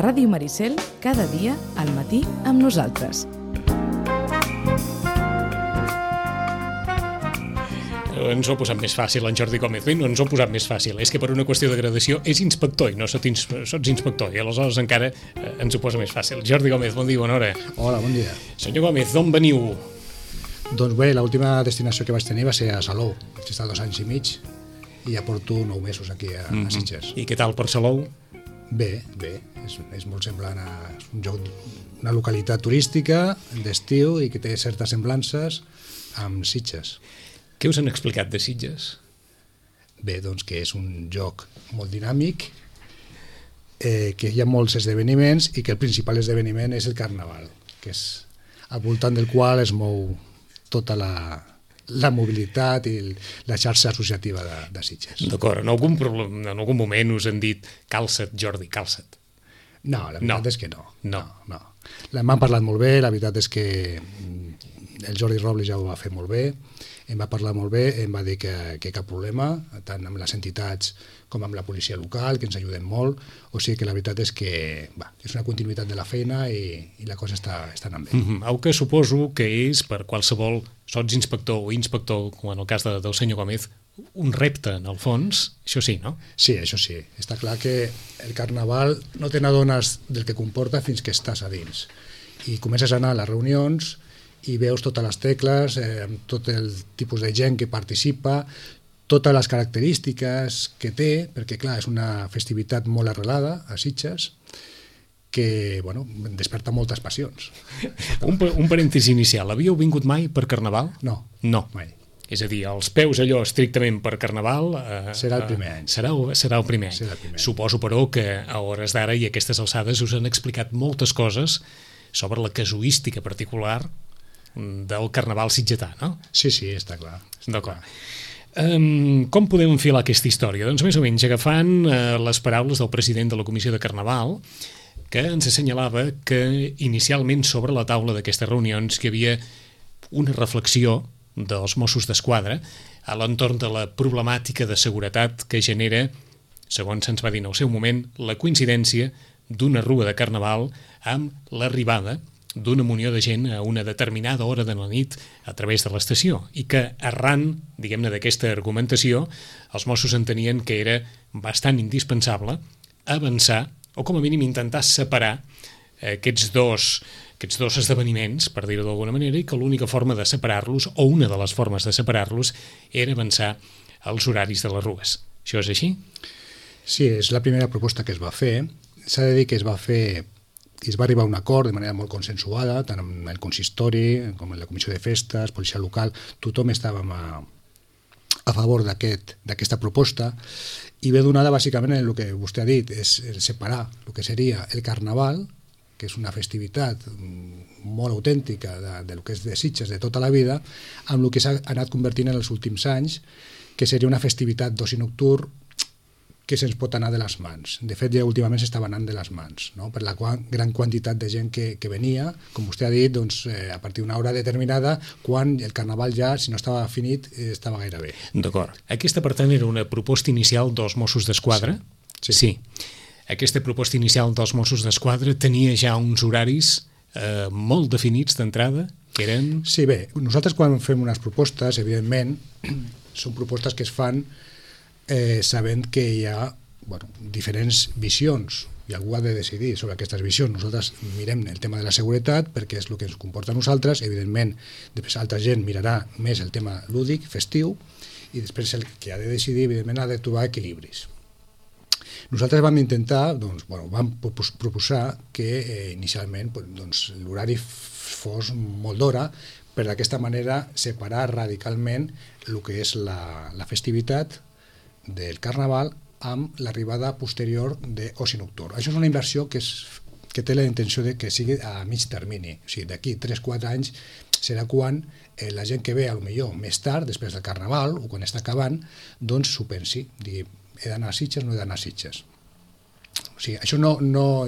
Ràdio Maricel, cada dia, al matí, amb nosaltres. Ens ho ha posat més fàcil en Jordi Gómez. Bé, no ens ho ha posat més fàcil. És que per una qüestió de gradació és inspector i no sots inspector. I aleshores encara ens ho posa més fàcil. Jordi Gómez, bon dia, bona hora. Hola, bon dia. Senyor Gómez, d'on veniu? Doncs bé, l'última destinació que vaig tenir va ser a Salou. Vaig estar 2 anys i mig i ja porto 9 mesos aquí a Sitges. I què tal per Salou? Bé. És molt semblant a una localitat turística d'estiu i que té certes semblances amb Sitges. Què us han explicat de Sitges? Bé, doncs que és un lloc molt dinàmic, que hi ha molts esdeveniments i que el principal esdeveniment és el Carnaval, que és al voltant del qual es mou tota la mobilitat i la xarxa associativa de Sitges. D'acord, en algun moment us han dit calça't, Jordi, calça't. No, la veritat és que no. No. M'han parlat molt bé, la veritat és que el Jordi Robles ja ho va fer molt bé, em va parlar molt bé, em va dir que cap problema, tant amb les entitats com amb la policia local, que ens ajuden molt, o sigui que la veritat és que és una continuïtat de la feina i la cosa està anant bé. Au que suposo que és per qualsevol sotsinspector o inspector, com en el cas del senyor Gómez, un repte, en el fons, això sí, no? Sí, això sí. Està clar que el Carnaval no te n'adones del que comporta fins que estàs a dins. I comences a anar a les reunions i veus totes les tecles, tot el tipus de gent que participa, totes les característiques que té, perquè clar, és una festivitat molt arrelada a Sitges, que desperta moltes passions. Un parèntesi inicial, havíeu vingut mai per Carnaval? No, mai. És a dir, els peus allò estrictament per Carnaval... Serà el primer any. Serà el primer any. Suposo, però, que a hores d'ara i a aquestes alçades us han explicat moltes coses sobre la casuística particular del Carnaval sitgetà, no? Sí, està clar. D'acord. Com podem enfilar aquesta història? Doncs més o menys agafant les paraules del president de la Comissió de Carnaval, que ens assenyalava que inicialment sobre la taula d'aquestes reunions hi havia una reflexió dels Mossos d'Esquadra a l'entorn de la problemàtica de seguretat que genera, segons se'ns va dir en el seu moment, la coincidència d'una rua de Carnaval amb l'arribada d'una munió de gent a una determinada hora de la nit a través de l'estació i que arran, diguem-ne, d'aquesta argumentació, els Mossos entenien que era bastant indispensable avançar o com a mínim intentar separar aquests dos esdeveniments, per dir-ho d'alguna manera, i que l'única forma de separar-los, o una de les formes de separar-los, era avançar als horaris de les rues. Això és així? Sí, és la primera proposta que es va fer. S'ha de dir que es va fer i es va arribar a un acord de manera molt consensuada, tant amb el consistori com amb la comissió de festes, policia local, tothom estàvem a favor d'aquesta proposta i ve donada bàsicament en el que vostè ha dit, és separar el que seria el Carnaval, que és una festivitat molt autèntica del que és de Sitges de tota la vida, amb el que s'ha anat convertint en els últims anys, que seria una festivitat d'oci nocturn que se'ns pot anar de les mans. De fet, ja últimament s'estava anant de les mans, no? Per la gran quantitat de gent que venia, com vostè ha dit, doncs, a partir d'una hora determinada, quan el Carnaval ja, si no estava finit, estava gairebé. D'acord. Aquesta, per tant, era una proposta inicial dels Mossos d'Esquadra? Sí. Aquesta proposta inicial dels Mossos d'Esquadra tenia ja uns horaris molt definits d'entrada, que eren... Sí, bé, nosaltres quan fem unes propostes, evidentment, són propostes que es fan sabent que hi ha diferents visions i algú ha de decidir sobre aquestes visions. Nosaltres mirem el tema de la seguretat perquè és el que ens comporta a nosaltres, evidentment després altra gent mirarà més el tema lúdic, festiu, i després el que ha de decidir evidentment ha de trobar equilibris. Nosaltres vam intentar, vam proposar que inicialment l'horari fos molt d'hora per d'aquesta manera separar radicalment el que és la festivitat del Carnaval amb l'arribada posterior d'oci nocturn. Això és una inversió que té la intenció de que sigui a mig termini. O sigui, d'aquí 3-4 anys serà quan la gent que ve potser més tard, després del Carnaval, o quan està acabant, doncs s'ho pensi. Digui, he d'anar a Sitges o no he d'anar a Sitges? O sigui, això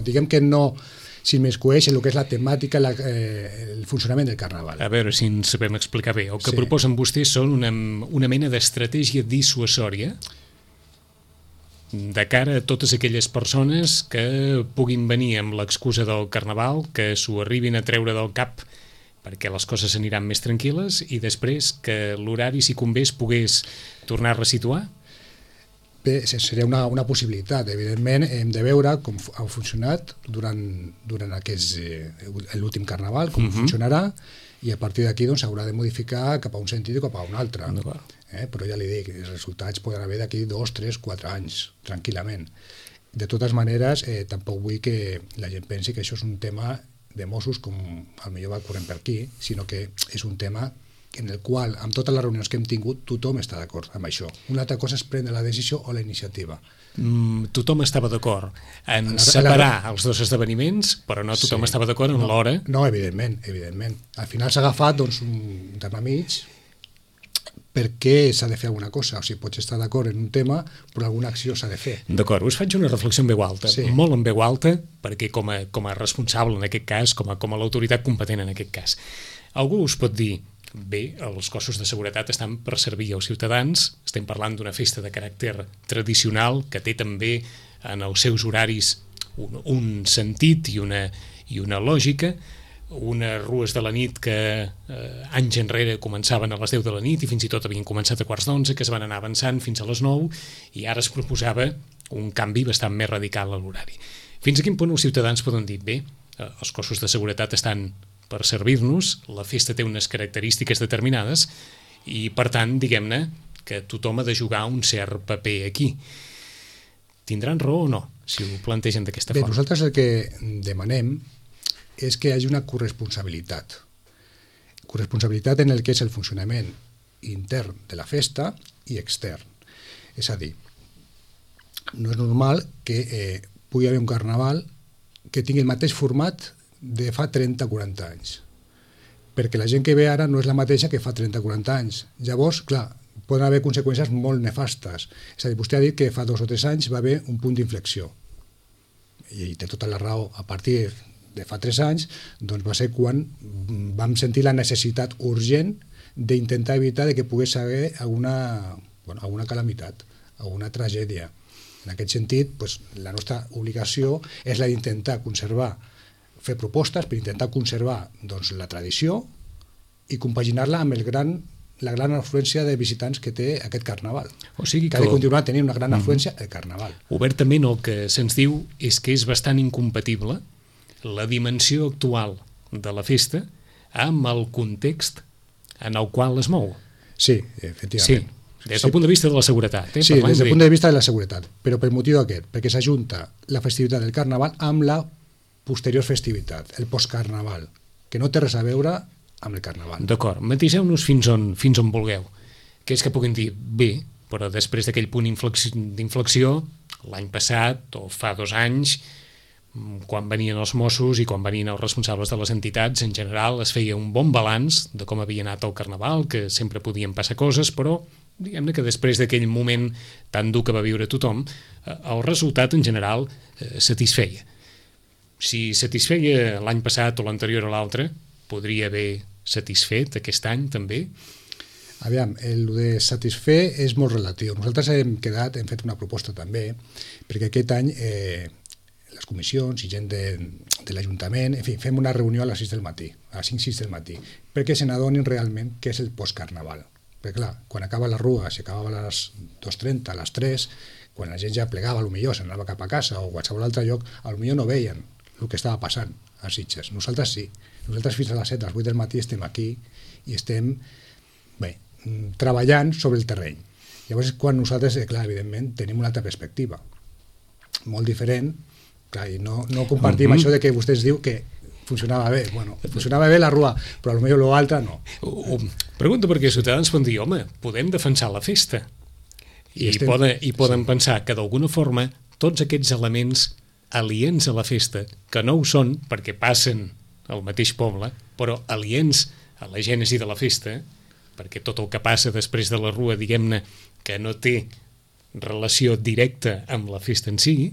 diguem que no s'immiscueix en el que és la temàtica, el funcionament del Carnaval. A veure si ens sabem explicar bé. El que proposen vostès són una mena d'estratègia dissuasòria de cara a totes aquelles persones que puguin venir amb l'excusa del Carnaval, que s'ho arribin a treure del cap perquè les coses aniran més tranquil·les i després que l'horari, si convé, es pogués tornar a resituar? Bé, seria una possibilitat. Evidentment, hem de veure com ha funcionat durant l'últim Carnaval, com funcionarà, i a partir d'aquí s'haurà de modificar cap a un sentit o cap a un altre. Però ja li dic, els resultats poden haver d'aquí 2, 3, 4 anys, tranquil·lament. De totes maneres, tampoc vull que la gent pensi que això és un tema de Mossos com potser va corrent per aquí, sinó que és un tema en el qual, amb totes les reunions que hem tingut, tothom està d'acord amb això. Una altra cosa és prendre la decisió o la iniciativa. Tothom estava d'acord en separar els dos esdeveniments, però no tothom estava d'acord en l'hora. No, evidentment. Al final s'ha agafat un terme mig perquè s'ha de fer alguna cosa. O sigui, pots estar d'acord en un tema, però alguna acció s'ha de fer. D'acord, us faig una reflexió en veu alta, molt en veu alta, perquè com a responsable en aquest cas, com a l'autoritat competent en aquest cas, algú us pot dir: bé, els cossos de seguretat estan per servir als ciutadans, estem parlant d'una festa de caràcter tradicional que té també en els seus horaris un sentit i una lògica, unes rues de la nit que anys enrere començaven a les 10 de la nit i fins i tot havien començat a 11:15, que es van anar avançant fins a les 9 i ara es proposava un canvi bastant més radical a l'horari. Fins a quin punt els ciutadans poden dir: bé, els cossos de seguretat estan per servir-nos, la festa té unes característiques determinades i, per tant, diguem-ne que tothom ha de jugar un cert paper aquí. Tindran raó o no, si ho plantegen d'aquesta forma? Bé, nosaltres el que demanem és que hi hagi una corresponsabilitat. Corresponsabilitat en el que és el funcionament intern de la festa i extern. És a dir, no és normal que pugui haver un carnaval que tingui el mateix format de fa 30-40 anys, perquè la gent que ve ara no és la mateixa que fa 30-40 anys. Llavors, clar, poden haver conseqüències molt nefastes. És a dir, vostè ha dit que fa 2 o 3 anys va haver un punt d'inflexió, i té tota la raó. A partir de fa 3 anys doncs va ser quan vam sentir la necessitat urgent d'intentar evitar que pogués haver alguna calamitat, alguna tragèdia. En aquest sentit, doncs, la nostra obligació és la d'intentar fer propostes per intentar conservar la tradició i compaginar-la amb la gran afluència de visitants que té aquest carnaval. O sigui que ha de continuar tenint una gran afluència el carnaval. Obertament el que se'ns diu és que és bastant incompatible la dimensió actual de la festa amb el context en el qual es mou. Sí, efectivament. Sí, des del punt de vista de la seguretat. Sí, des del punt de vista de la seguretat, però per motiu aquest, perquè s'ajunta la festivitat del carnaval amb la posterior festivitat, el postcarnaval, que no té res a veure amb el carnaval. D'acord, matiseu-nos fins on vulgueu, que és que puguin dir: bé, però després d'aquell punt d'inflexió, l'any passat o fa 2 anys, quan venien els Mossos i quan venien els responsables de les entitats, en general es feia un bon balanç de com havia anat el carnaval, que sempre podien passar coses, però diguem-ne que després d'aquell moment tan dur que va viure tothom, el resultat en general satisfeia. Si satisfeia l'any passat o l'anterior a l'altre, podria haver satisfet aquest any també? Aviam, el de satisfer és molt relatiu. Nosaltres hem fet una proposta també, perquè aquest any les comissions i gent de l'Ajuntament, en fi, fem una reunió a les 6 del matí, a les 5-6 del matí, perquè se n'adonin realment què és el postcarnaval. Perquè clar, quan acaba la rua, si acabava a les 2:30, a les 3, quan la gent ja plegava, potser s'anava cap a casa o a qualsevol altre lloc, potser no veien el que estava passant a Sitges. Nosaltres sí. Nosaltres fins a les 7, a les 8 del matí estem aquí i estem treballant sobre el terreny. Llavors és quan nosaltres, clar, evidentment, tenim una altra perspectiva. Molt diferent, clar, i no compartim això de que vostè ens diu que funcionava bé. Bueno, funcionava bé la rua, però potser l'altre no. Pregunto perquè els ciutadans poden dir: home, podem defensar la festa. I poden pensar que d'alguna forma tots aquests elements aliens a la festa, que no ho són perquè passen al mateix poble, però aliens a la gènesi de la festa, perquè tot el que passa després de la rua, diguem-ne, que no té relació directa amb la festa en si,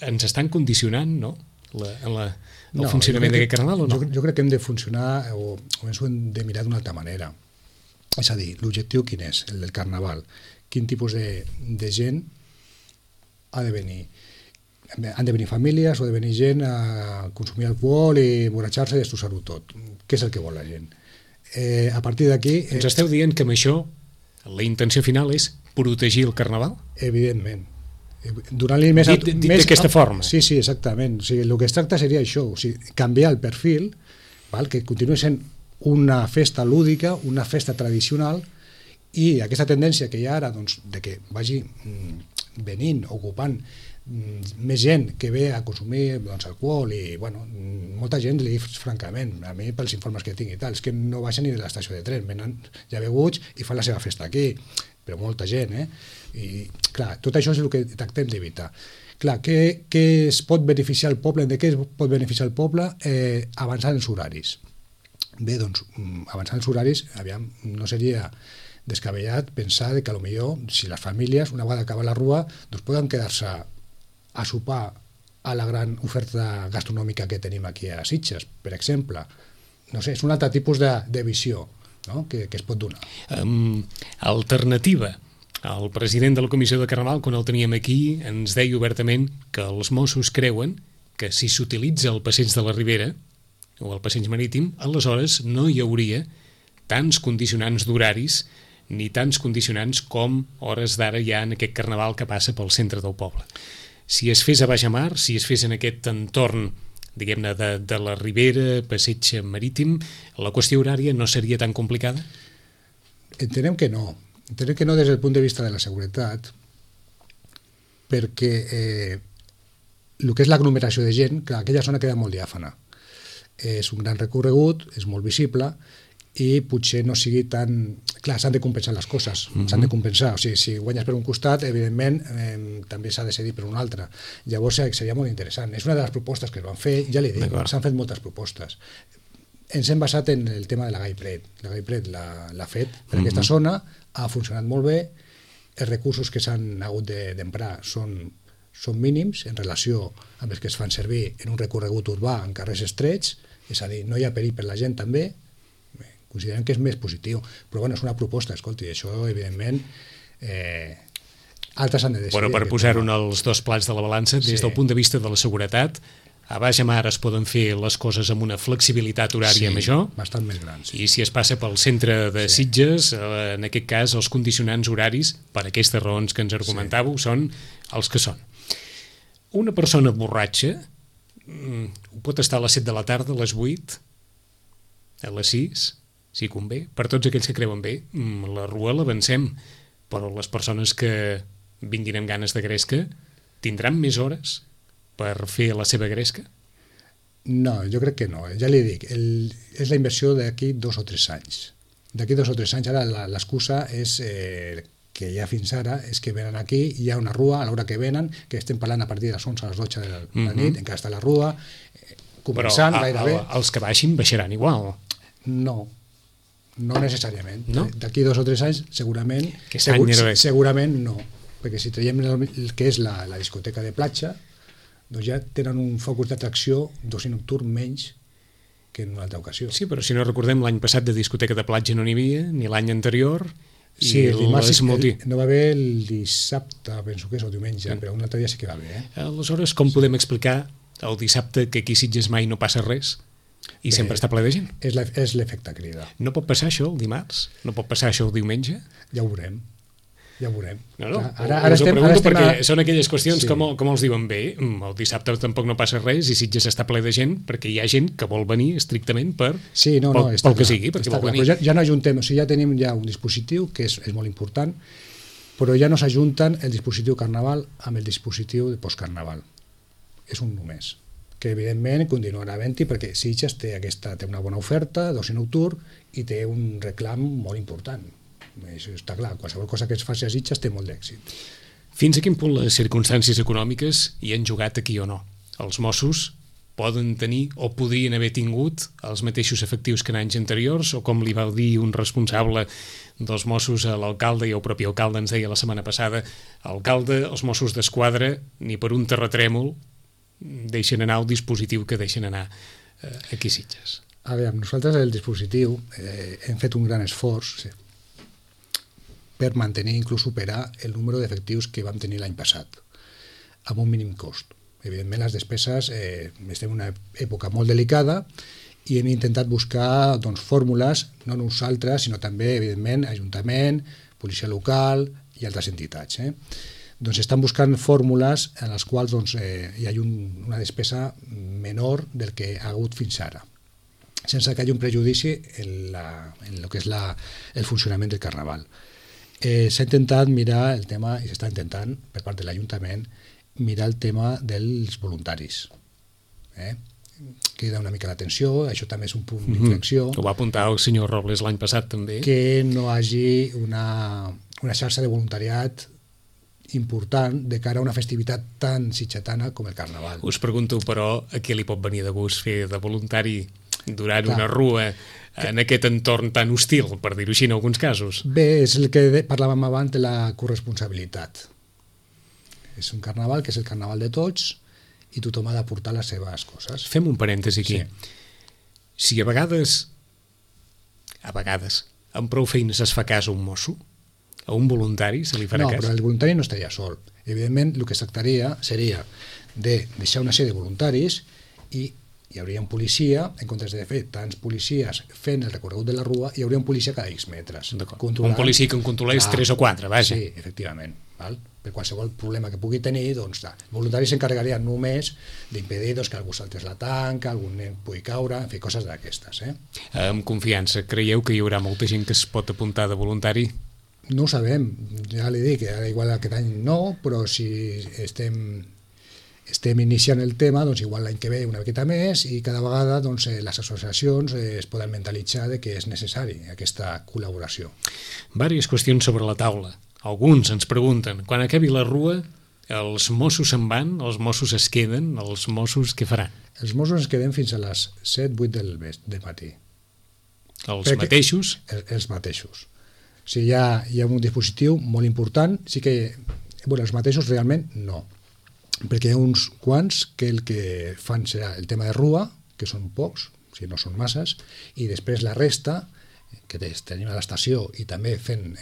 ens estan condicionant, no?, el funcionament d'aquest carnaval, o no? Jo crec que hem de funcionar, o ens ho hem de mirar d'una altra manera. És a dir, l'objectiu quin és, el del carnaval? Quin tipus de gent han de venir famílies o de venir gent a consumir alcohol i emborratxar-se i destrossar-ho tot. Què és el que vol la gent? A partir d'aquí... Ens esteu dient que amb això la intenció final és protegir el Carnaval? Evidentment. Donant-li més... Dit d'aquesta forma. Sí, exactament. O sigui, el que es tracta seria això, o sigui, canviar el perfil, val? Que continuï sent una festa lúdica, una festa tradicional, i aquesta tendència que hi ha ara, doncs, de que vagi venint, ocupant més gent que ve a consumir doncs, alcohol i, bueno, molta gent li dic francament, a mi pels informes que tinc i tal, és que no baixen ni de l'estació de tren, venen ja beguts i fan la seva festa aquí, però molta gent, i clar, tot això és el que tractem d'evitar. Clar, què es pot beneficiar el poble, de què es pot beneficiar el poble? Avançant els horaris. Bé, doncs, avançant els horaris, aviam, no seria descabellat pensar que potser si les famílies, una vegada acaba la rua, doncs poden quedar-se a sopar a la gran oferta gastronòmica que tenim aquí a Sitges, per exemple. No sé, és un altre tipus de visió, no? que es pot donar. Alternativa. El president de la Comissió de Carnaval, quan el teníem aquí, ens deia obertament que els Mossos creuen que si s'utilitza el passeig de la Ribera o el passeig marítim, aleshores no hi hauria tants condicionants d'horaris ni tants condicionants com hores d'ara hi ha en aquest Carnaval que passa pel centre del poble. Si es fes a Baixamar, si es fes en aquest entorn, diguem-ne, de la Ribera, passeig marítim, la qüestió horària no seria tan complicada? Entenem que no. Entenem que no des del punt de vista de la seguretat, perquè el que és l'aglomeració de gent, clar, aquella zona queda molt diàfana. És un gran recorregut, és molt visible, i potser no sigui tan... Clar, s'han de compensar les coses, s'han de compensar. O sigui, si guanyes per un costat, evidentment, també s'ha de cedir per un altre. Llavors seria molt interessant. És una de les propostes que es van fer, ja li dic, s'han fet moltes propostes. Ens hem basat en el tema de la Gai Pret. La Gai Pret l'ha fet per aquesta zona, ha funcionat molt bé, els recursos que s'han hagut d'emprar són mínims en relació amb els que es fan servir en un recorregut urbà en carrers estrets, és a dir, no hi ha perill per la gent també, considerem que és més positiu, però bueno, és una proposta, escolti, això evidentment altres han de decidir. Bueno, per posar-ho en els dos plats de la balança, des del punt de vista de la seguretat, a Baixamar es poden fer les coses amb una flexibilitat horària major, bastant més gran, i si es passa pel centre de Sitges, en aquest cas els condicionants horaris, per aquestes raons que ens argumentàveu, són els que són. Una persona borratxa pot estar a les 7 de la tarda, a les 8, a les 6, si convé. Per tots aquells que creuen bé, la rua l'avancem, però les persones que vinguin amb ganes de gresca tindran més hores per fer la seva gresca? No, jo crec que no. Ja li dic, és la inversió d'aquí 2 o 3 anys. D'aquí 2 o 3 anys, ara l'excusa és que ja fins ara és que venen aquí, hi ha una rua a l'hora que venen, que estem parlant a partir de les 11 a les 12 de la nit, encara està la rua, començant gairebé. Però els que baixaran igual. No necessàriament. No? D'aquí 2 o 3 anys segurament no, perquè si traiem el que és la discoteca de platja, doncs ja tenen un focus d'atracció d'oci nocturn menys que en una altra ocasió. Sí, però si no recordem, l'any passat de discoteca de platja no n'hi havia, ni l'any anterior. Sí, el dimarts no va haver el dissabte, penso que és, o diumenge, però un altre dia sí que va haver. Aleshores, com podem explicar el dissabte que aquí a Sitges mai no passa res? I sempre està ple de gent. És l'efecte crida. No pot passar això el dimarts? No pot passar això el diumenge? Ja ho veurem. No, ara us ho pregunto perquè són aquelles qüestions com els diuen bé. El dissabte tampoc no passa res i Sitges està ple de gent perquè hi ha gent que vol venir estrictament pel que sigui, perquè vol venir. Ja no ajuntem, o sigui, ja tenim un dispositiu que és molt important, però ja no s'ajunten el dispositiu Carnaval amb el dispositiu de postcarnaval. És un només, que evidentment continuarà havent-hi perquè Sitges té una bona oferta d'oci nocturn i té un reclam molt important. Això està clar, qualsevol cosa que es faci a Sitges té molt d'èxit. Fins a quin punt les circumstàncies econòmiques hi han jugat aquí o no? Els Mossos poden tenir o podrien haver tingut els mateixos efectius que en anys anteriors, o com li va dir un responsable dels Mossos a l'alcalde, i el propi alcalde ens deia la setmana passada, alcalde, els Mossos d'Esquadra ni per un terratrèmol deixen anar el dispositiu que deixen anar aquí a Sitges. A veure, nosaltres el dispositiu hem fet un gran esforç per mantenir, inclús superar el número d'efectius que vam tenir l'any passat. amb un mínim cost. Evidentment, les despeses, estem en una època molt delicada i hem intentat buscar fórmules, no nosaltres, sinó també, evidentment, Ajuntament, policia local i altres entitats. Doncs estan buscant fórmules en les quals hi ha una despesa menor del que ha hagut fins ara, sense que hi hagi un prejudici en el que és el funcionament del Carnaval. S'ha intentat mirar el tema, i s'està intentant per part de l'Ajuntament, mirar el tema dels voluntaris. Crida una mica l'atenció, això també és un punt d'inflexió. Ho va apuntar el senyor Robles l'any passat també. Que no hagi una xarxa de voluntariat important de cara a una festivitat tan sitgetana com el Carnaval. Us pregunto, però, a què li pot venir de gust fer de voluntari durant una rua en aquest entorn tan hostil, per dir-ho així en alguns casos? Bé, és el que parlàvem abans de la corresponsabilitat. És un carnaval que és el carnaval de tots i tothom ha d'aportar les seves coses. Fem un parèntesi aquí. Si a vegades, amb prou feines es fa cas a un mosso, a un voluntari se li farà cas? No, però el voluntari no estaria sol. Evidentment, el que es tractaria seria de deixar una sèrie de voluntaris i hi hauria un policia, en comptes de fer tants policies fent el recorregut de la rua, hi hauria un policia cada X metres. Un policia que en controlés 3 o 4, vaja. Sí, efectivament. Per qualsevol problema que pugui tenir, els voluntaris s'encarregarien només d'impedir que algú saltés la tanca, algun nen pugui caure, en fi, coses d'aquestes. Amb confiança, creieu que hi haurà molta gent que es pot apuntar de voluntari? No ho sabem, ja li dic, ara igual aquest any no, però si estem iniciant el tema, doncs igual l'any que ve una miqueta més i cada vegada les associacions es poden mentalitzar de que és necessari aquesta col·laboració. Vàries qüestions sobre la taula. Alguns ens pregunten, quan acabi la rua, els Mossos se'n van, els Mossos es queden, els Mossos què faran? Els Mossos es queden fins a les 7-8 del matí. Els mateixos? Els mateixos. O sigui, hi ha un dispositiu molt important, sí que, els mateixos realment no, perquè hi ha uns quants que el que fan serà el tema de rua, que són pocs, o sigui, no són masses, i després la resta, que tenim a l'estació i també fent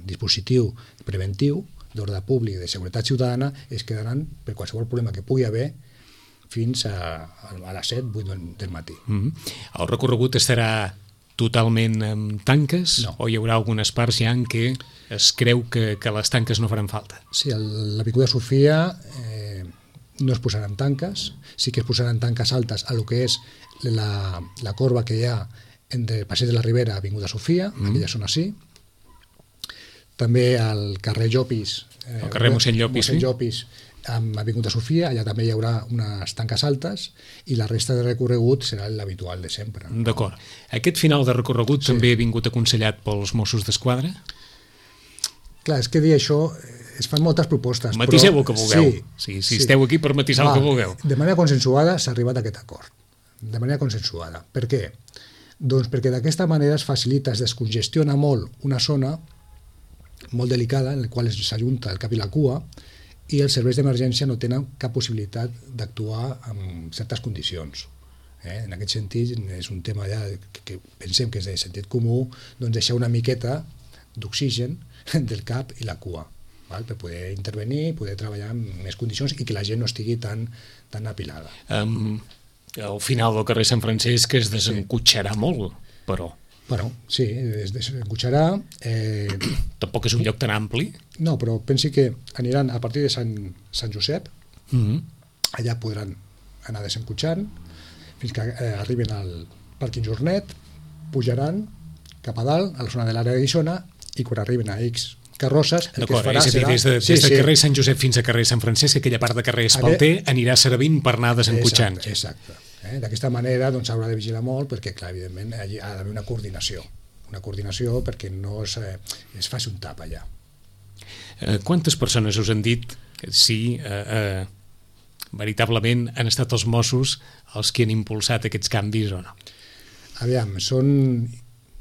dispositiu preventiu d'ordre públic de seguretat ciutadana, es quedaran per qualsevol problema que pugui haver fins a les 7-8 del matí. El recorregut estarà totalment amb tanques? No. O hi haurà algunes parts ja en què es creu que les tanques no faran falta? Sí, a l'Avinguda Sofia no es posaran tanques, sí que es posaran tanques altes a lo que és la corba que hi ha entre el Passeig de la Ribera i Avinguda Sofia, aquella zona sí. També al carrer Llopis, el carrer Mossèn Llopis, Llopis amb Avinguda Sofia, allà també hi haurà unes tanques altes i la resta de recorregut serà l'habitual de sempre. D'acord. Aquest final de recorregut també ha vingut aconsellat pels Mossos d'Esquadra? Clar, és que dir això, es fan moltes propostes. Matiseu el que vulgueu. Si esteu aquí per matisar el que vulgueu. De manera consensuada s'ha arribat a aquest acord. De manera consensuada. Per què? Doncs perquè d'aquesta manera es facilita, es descongestiona molt una zona molt delicada en la qual s'ajunta el cap i la cua i els serveis d'emergència no tenen cap possibilitat d'actuar en certes condicions. En aquest sentit, és un tema ja que pensem que és de sentit comú, doncs deixar una miqueta d'oxigen del cap i la cua, per poder intervenir, poder treballar en més condicions i que la gent no estigui tan apilada. Al final del carrer Sant Francesc es desencotxarà molt, però... Bueno, sí, es desencotxarà. Tampoc és un lloc tan ampli. No, però pensi que aniran a partir de Sant Josep, allà podran anar desencotxant fins que arriben al pàrquing Jornet, pujaran cap a dalt, a la zona de l'àrea de Guissona, i quan arriben a X carrosses, el que es farà serà... Des de carrer Sant Josep fins a carrer Sant Francesc, aquella part de carrer Espalter anirà servint per anar desencotxant. Exacte. D'aquesta manera s'haurà de vigilar molt perquè, clar, evidentment, allí ha d'haver una coordinació perquè no es faci un tap allà. Quantes persones us han dit si veritablement han estat els Mossos els que han impulsat aquests canvis o no? Aviam, són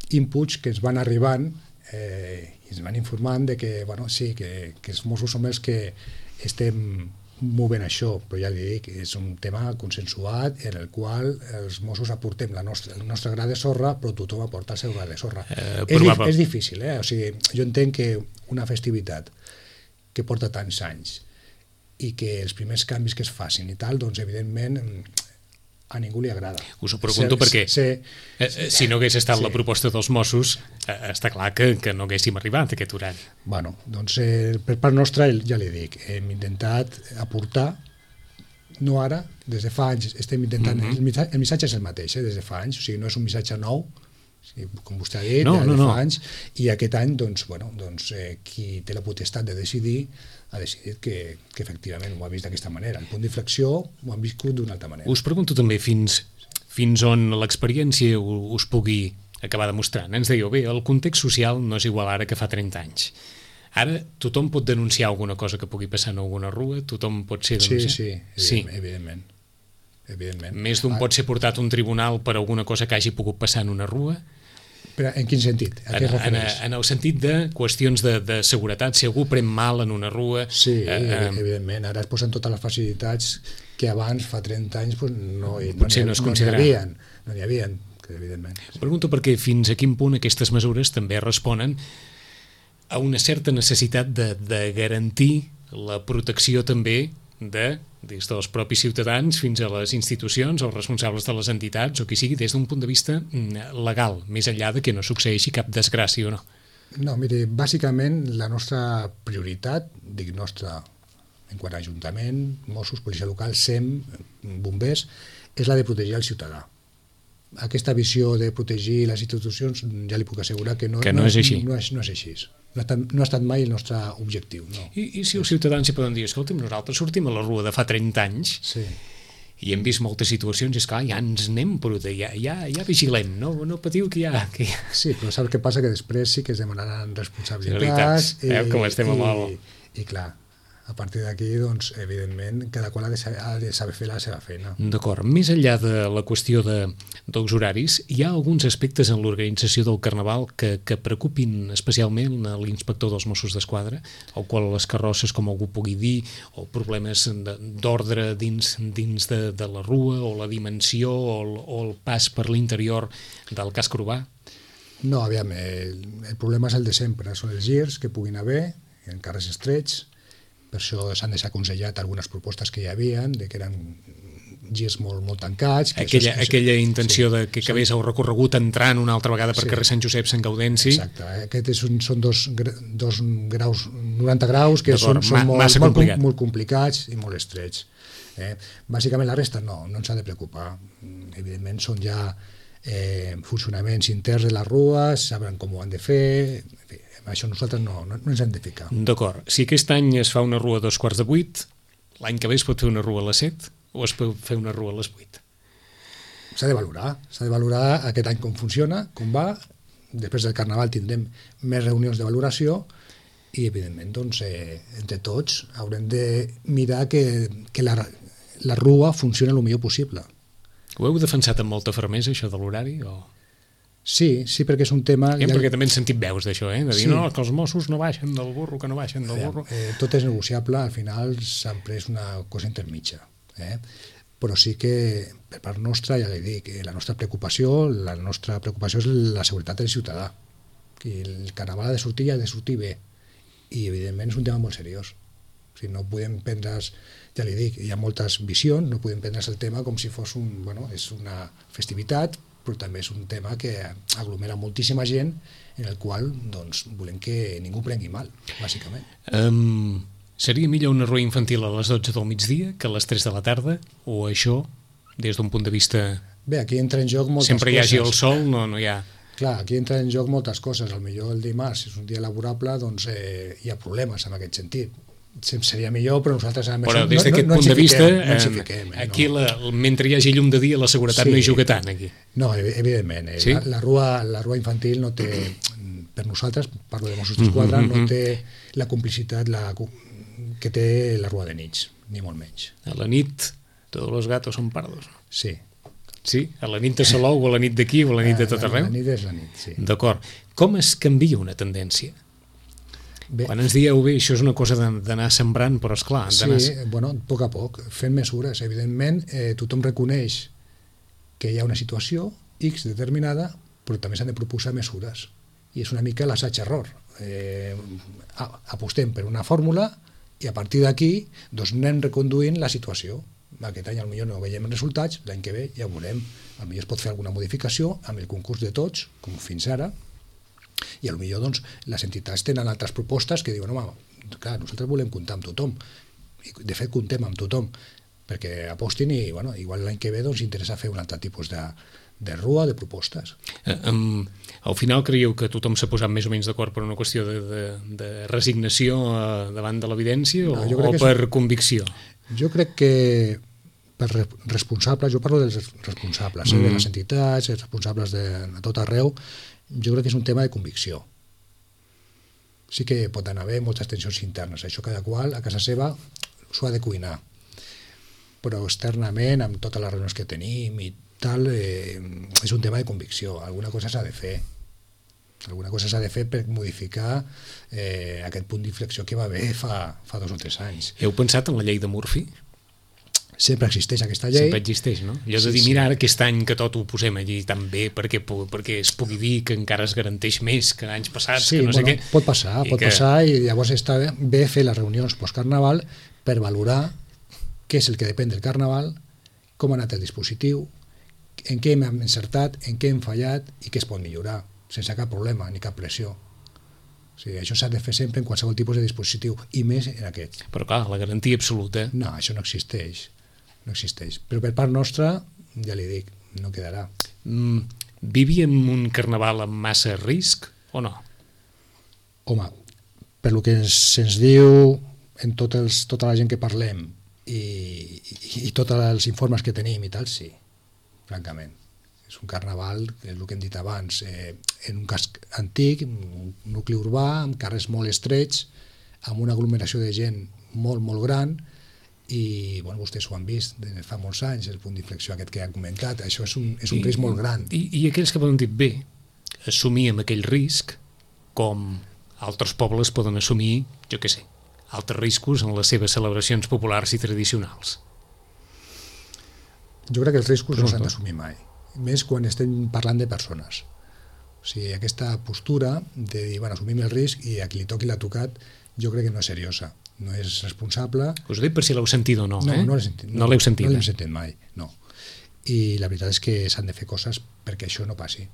inputs que ens van arribant i ens van informant de que, sí, que els Mossos som els que estem movent això, però ja li dic, és un tema consensuat en el qual els Mossos aportem el nostre gra de sorra, però tothom aporta el seu gra de sorra. És difícil, o sigui, jo entenc que una festivitat que porta tants anys i que els primers canvis que es facin i tal, doncs evidentment a ningú li agrada. Us ho pregunto perquè si no hagués estat la proposta dels Mossos, està clar que no haguéssim arribat a aquest horari. Bueno, doncs per part nostra, ja li dic, hem intentat aportar, no ara, des de fa anys estem intentant, el missatge és el mateix, des de fa anys, o sigui, no és un missatge nou, com vostè ha dit, fa anys, i aquest any, doncs, qui té la potestat de decidir ha decidit que efectivament ho ha vist d'aquesta manera. El punt d'inflexió ho han viscut d'una altra manera. Us pregunto també fins on l'experiència us pugui acabar demostrant. Ens dèieu, bé, el context social no és igual ara que fa 30 anys. Ara tothom pot denunciar alguna cosa que pugui passar en alguna rua? Tothom pot ser denunciat? Sí, evidentment. Més d'un pot ser portat a un tribunal per alguna cosa que hagi pogut passar en una rua? Però en quin sentit? A què es refereix? En el sentit de qüestions de seguretat, si algú pren mal en una rua... Sí, evidentment. Ara es posen totes les facilitats que abans, fa 30 anys, no n'hi havia, evidentment. Pregunto perquè fins a quin punt aquestes mesures també responen a una certa necessitat de garantir la protecció també des dels propis ciutadans fins a les institucions, els responsables de les entitats o qui sigui, des d'un punt de vista legal, més enllà de que no succeeixi cap desgràcia o no. No, mire, bàsicament la nostra prioritat, dic nostra en quant a Ajuntament, Mossos, Policia Local, SEM, bombers, és la de protegir el ciutadà. Aquesta visió de protegir les institucions ja li puc assegurar que no és així. No és així. No ha estat mai el nostre objectiu. No. I si els ciutadans hi poden dir, escolta'm, nosaltres sortim a la rua de fa 30 anys i hem vist moltes situacions i esclar, ja ens n'hem protegit, ja vigilem, no patiu que ja... Sí, però saps què passa? Que després sí que es demanaran responsabilitats com estem amb el... I clar, a partir d'aquí, doncs, evidentment, cada qual ha de saber fer la seva feina. D'acord. Més enllà de la qüestió dels horaris, hi ha alguns aspectes en l'organització del Carnaval que preocupin especialment l'inspector dels Mossos d'Esquadra, el qual les carrosses, com algú pugui dir, o problemes d'ordre dins de la rua, o la dimensió, o el pas per l'interior del casc urbà? No, aviam, el problema és el de sempre, són els girs que puguin haver en carrers estrets. Per això s'han desaconsellat algunes propostes que hi havia, que eren girs molt tancats. Aquella intenció de que acabés el recorregut entrant una altra vegada per carrer Sant Josep, Sant Gaudenci. Exacte, aquests són dos graus, 90 graus, que són molt complicats i molt estrets. Bàsicament la resta no ens ha de preocupar. Evidentment són ja funcionaments interns de les rues, saben com ho han de fer... Això nosaltres no ens hem de ficar. D'acord. Si aquest any es fa una rua a 7:15, l'any que ve es pot fer una rua a les 7 o es pot fer una rua a les 8? S'ha de valorar aquest any com funciona, com va. Després del Carnaval tindrem més reunions de valoració i, evidentment, doncs, entre tots haurem de mirar que la rua funcioni el millor possible. Ho heu defensat amb molta fermesa, això de l'horari, o...? Sí, perquè és un tema... Perquè també hem sentit veus d'això, de dir, no, que els Mossos no baixen del burro, que no baixen del burro... Tot és negociable, al final s'han pres una cosa intermitja. Però sí que, per part nostra, ja li dic, la nostra preocupació és la seguretat del ciutadà. El Carnaval ha de sortir i ha de sortir bé. I, evidentment, és un tema molt seriós. O sigui, no podem prendre's, ja li dic, hi ha moltes visions, no podem prendre's el tema com si fos és una festivitat, però també és un tema que aglomera moltíssima gent en el qual doncs, volem que ningú prengui mal, bàsicament. Seria millor una rua infantil a les 12 del migdia que a les 3 de la tarda? O això, des d'un punt de vista... Bé, aquí entra en joc moltes coses. Sempre hi hagi el sol, no hi ha... Clar, aquí entra en joc moltes coses. Potser el dimarts, si és un dia laborable, doncs hi ha problemes en aquest sentit. Seria millor, però nosaltres però des d'aquest punt de vista aquí mentre hi hagi llum de dia la seguretat no hi juga tant aquí. No, evidentment, la rua infantil no té, per nosaltres, parlo de Mossos d'Esquadra, no té la complicitat que té la rua de nits, ni molt menys. A la nit tots los gatos són pardos. Sí, a la nit de Salou o a la nit d'aquí o a la nit de tot arreu? La nit és la nit, sí. D'acord. Com es canvia una tendència? Quan ens dieu, bé, això és una cosa d'anar sembrant, però esclar... Sí, a poc a poc, fent mesures. Evidentment, tothom reconeix que hi ha una situació X determinada, però també s'han de proposar mesures. I és una mica l'assaig-error. Apostem per una fórmula I a partir d'aquí doncs anem reconduint la situació. Aquest any potser no veiem resultats, l'any que ve ja ho veurem. Potser es pot fer alguna modificació amb el concurs de tots, com fins ara, i potser doncs, les entitats tenen altres propostes que diuen, home, clar, nosaltres volem comptar amb tothom, i de fet comptem amb tothom, perquè apostin i igual l'any que ve doncs interessa fer un altre tipus de rua, de propostes. Al final creieu que tothom s'ha posat més o menys d'acord per una qüestió de resignació davant de l'evidència o per convicció? Jo crec que per responsables, jo parlo dels responsables, de les entitats, els responsables de tot arreu, jo crec que és un tema de convicció. Sí que pot haver moltes tensions internes, això cada qual a casa seva s'ho ha de cuinar, però externament, amb totes les reunions que tenim i tal, és un tema de convicció, alguna cosa s'ha de fer. Alguna cosa s'ha de fer per modificar aquest punt d'inflexió que va haver fa 2 o 3 anys. Heu pensat en la llei de Murphy? Sempre existeix aquesta llei. Sempre existeix, no? Jo he de dir, mira, ara aquest any que tot ho posem allí tan bé perquè es pugui dir que encara es garanteix més que anys passats, que no sé què. Pot passar i llavors està bé fer les reunions post-carnaval per valorar què és el que depèn del carnaval, com ha anat el dispositiu, en què hem encertat, en què hem fallat i què es pot millorar, sense cap problema ni cap pressió. O sigui, això s'ha de fer sempre en qualsevol tipus de dispositiu, i més en aquest. Però clar, la garantia absoluta... No, això no existeix. No existeix. Però per part nostra, ja li dic, no quedarà. Vivíem un carnaval amb massa risc o no? Home, per lo que se'ns diu en tota la gent que parlem i tots els informes que tenim i tal, sí, francament. És un carnaval, és el que hem dit abans, en un casc antic, un nucli urbà, amb carrers molt estrets, amb una aglomeració de gent molt, molt gran, i vostès ho han vist fa molts anys, el punt d'inflexió aquest que han comentat, això és un risc molt gran. I aquells que poden dir, bé, assumíem aquell risc com altres pobles poden assumir, jo què sé, altres riscos en les seves celebracions populars i tradicionals. Jo crec que els riscos no s'han d'assumir mai, més quan estem parlant de persones. O sigui, aquesta postura de dir, assumim el risc i a qui li toqui l'ha tocat, jo crec que no és seriosa. No és responsable. Us ho dic per si l'heu sentit o no. No l'hem sentit. No l'heu sentit. No l'hem sentit mai, no. I la veritat és que s'han de fer coses perquè això no passi.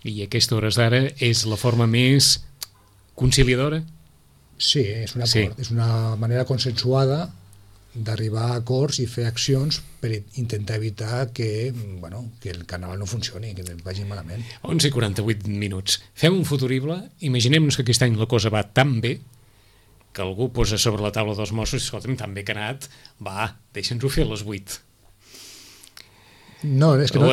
I a aquestes hores d'ara és la forma més conciliadora? Sí, és un acord. És una manera consensuada d'arribar a acords i fer accions per intentar evitar que el carnaval no funcioni, que vagi malament. 11:48 minuts. Fem un futurible. Imaginem-nos que aquest any la cosa va tan bé que algú posa sobre la taula dels Mossos i escolta'm, tan bé que ha anat, deixa'ns-ho fer a les 8. No, és que no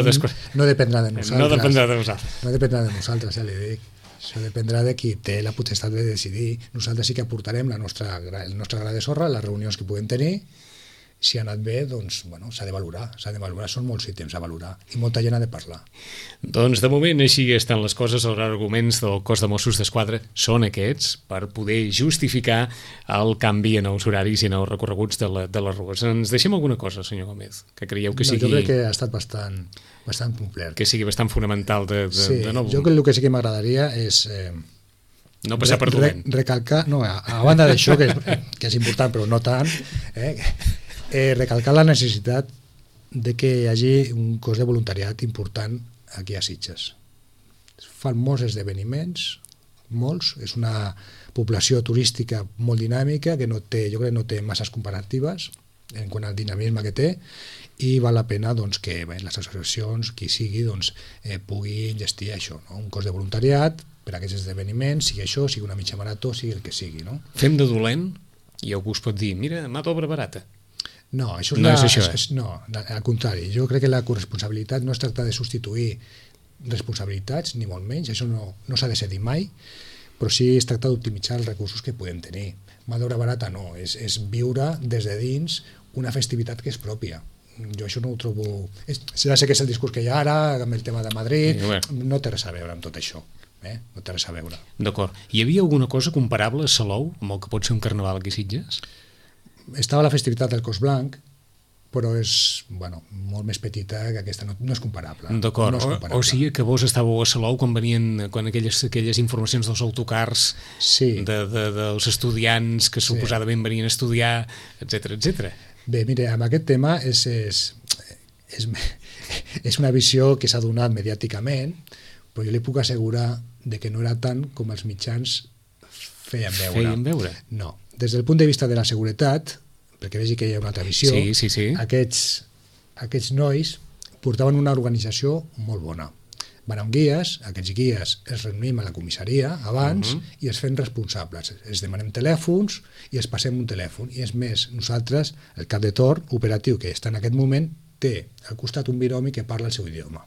dependrà de nosaltres. No dependrà de nosaltres. No dependrà de nosaltres, ja li dic. Això dependrà de qui té la potestat de decidir. Nosaltres sí que aportarem el nostre gra de sorra, les reunions que puguem tenir. Si ha anat bé, doncs, s'ha de valorar. Són molts ítems a valorar i molta gent ha de parlar. Doncs, de moment, així estan les coses. Els arguments del cos de Mossos d'Esquadra són aquests per poder justificar el canvi en els horaris i en els recorreguts de les rues. Ens deixem alguna cosa, senyor Gómez, que creieu que sigui... Jo crec que ha estat bastant complet. Que sigui bastant fonamental de nou. Jo crec que el que sí que m'agradaria és... no passar per dolent. Recalcar, a banda d'això, que és important, però no tant, recalcar la necessitat de que hi hagi un cos de voluntariat important aquí a Sitges. Fan molts esdeveniments, molts, és una població turística molt dinàmica que jo crec que no té masses comparatives en quant al dinamisme que té, i val la pena que les associacions, qui sigui, pugui gestir això, un cos de voluntariat per a aquests esdeveniments, sigui això, sigui una mitja marató, sigui el que sigui. Fem de dolent i algú es pot dir, mira, mà d'obra barata. No, això no és això. No, al contrari. Jo crec que la corresponsabilitat no es tracta de substituir responsabilitats, ni molt menys, això no s'ha de cedir mai, però sí es tracta d'optimitzar els recursos que podem tenir. Mà d'obra barata no, és viure des de dins una festivitat que és pròpia. Jo això no ho trobo... Ja sé que és el discurs que hi ha ara, amb el tema de Madrid, no té res a veure amb tot això. No té res a veure. D'acord. Hi havia alguna cosa comparable a Salou, amb el que pot ser un carnaval aquí a Sitges? Estava la festivitat del Cos Blanc, però és molt més petita que aquesta, no és comparable. D'acord, no és comparable. o sigui que vos estàveu a Salou quan aquelles informacions dels autocars dels estudiants que suposadament venien a estudiar, etc. Bé, mira, amb aquest tema és una visió que s'ha donat mediàticament, però jo li puc assegurar de que no era tant com els mitjans feien veure. No. Des del punt de vista de la seguretat, perquè vegi que hi ha una altra visió, sí. Aquests nois portaven una organització molt bona. Van amb guies, aquests guies els reunim a la comissaria abans i els fem responsables. Els demanem telèfons i els passem un telèfon. I és més, nosaltres, el cap de torn operatiu que està en aquest moment, té al costat un binomi que parla el seu idioma.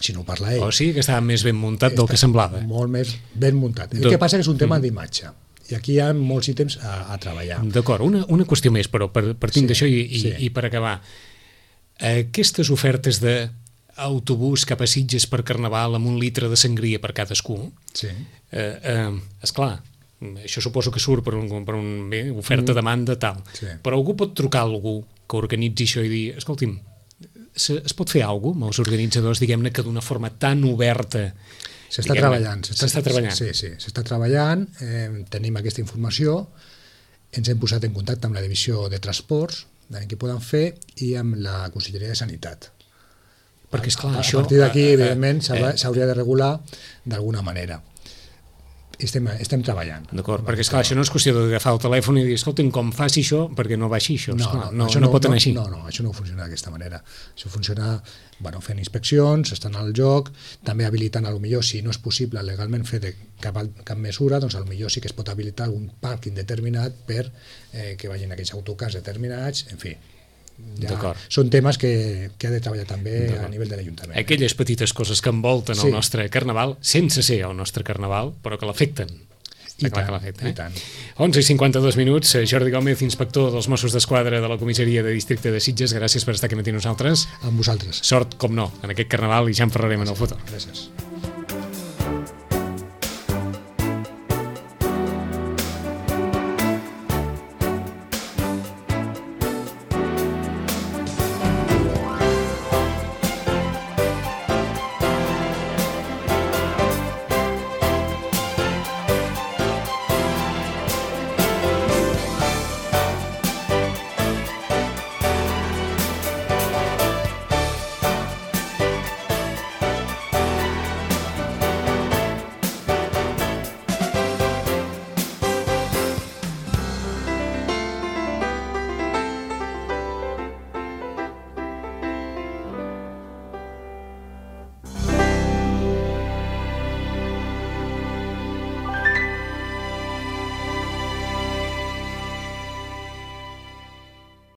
Si no parla ell. O sigui que estava més ben muntat del que semblava. Molt més ben muntat. El que passa que és un tema d'imatge. I aquí hi ha molts ítems a treballar. D'acord, una qüestió més, però partint d'això i per acabar. Aquestes ofertes d'autobús cap a Sitges per Carnaval amb 1 litre de sangria per cadascú, esclar, això suposo que surt per un oferta-demanda tal, però algú pot trucar a algú que organitzi això i dir, escolti'm, es pot fer alguna cosa amb els organitzadors, diguem-ne, que d'una forma tan oberta s'està treballant. Sí, s'està treballant, tenim aquesta informació, ens hem posat en contacte amb la divisió de transports, què poden fer, i amb la Conselleria de Sanitat. Perquè, esclar, a partir d'aquí, evidentment, s'hauria de regular d'alguna manera. Estem treballant. D'acord, perquè esclar, això no és qüestió d'agafar el telèfon i dir, escolta'm, com faci això, perquè no baixi això. No pot anar així. No, això no funciona d'aquesta manera. Això funciona fent inspeccions, estan al joc, també habilitant, potser si no és possible legalment fer cap mesura, doncs potser sí que es pot habilitar algun pàrquing determinat per que vagin aquells autocars determinats, en fi. Són temes que ha de treballar també a nivell de l'Ajuntament. Aquelles petites coses que envolten el nostre Carnaval, sense ser el nostre Carnaval, però que l'afecten. I tant. 11:52, Jordi Gómez, inspector dels Mossos d'Esquadra de la Comissaria de Districte de Sitges, gràcies per estar aquí amb nosaltres. Amb vosaltres. Sort, com no, en aquest Carnaval, i ja en parlarem en el futur. Gràcies.